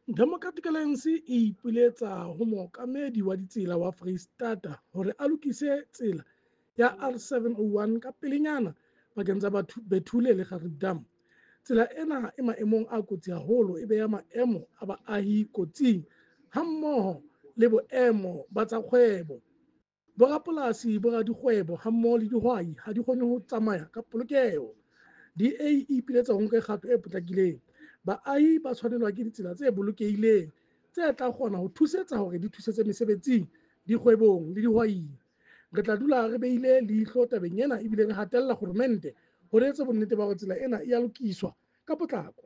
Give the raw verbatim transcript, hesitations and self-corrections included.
Democratic Alliance e ipiletsa ho mookamedi wa ditsela wa Freistata hore a lokise tsela ya R seven oh one ka pelenyana pakeng tsa Bethulie le Gariep Dam. Tsela ena e maemong a kotsi haholo e beha maemo a baahi kotsing hammoho le boemo ba tsa kgwebo. Borapolasi, boradikgwebo hammoho le dihwai ha di kgone ho tsamaya ka polokeho. D A e ipiletsa ho nka kgato e potlakileng. Baahi ba tshwanelwa ke ditsela tse bolokehileng tse tla kgona ho thusetsa hore di thusetse mesebetsing, dikgwebong le dihwaing. Re tla dula re behile leihlo tabeng ena ebile re hatella kgoromente hore etse bonnete ba hore tsela ena e a lokiswa ka potlako.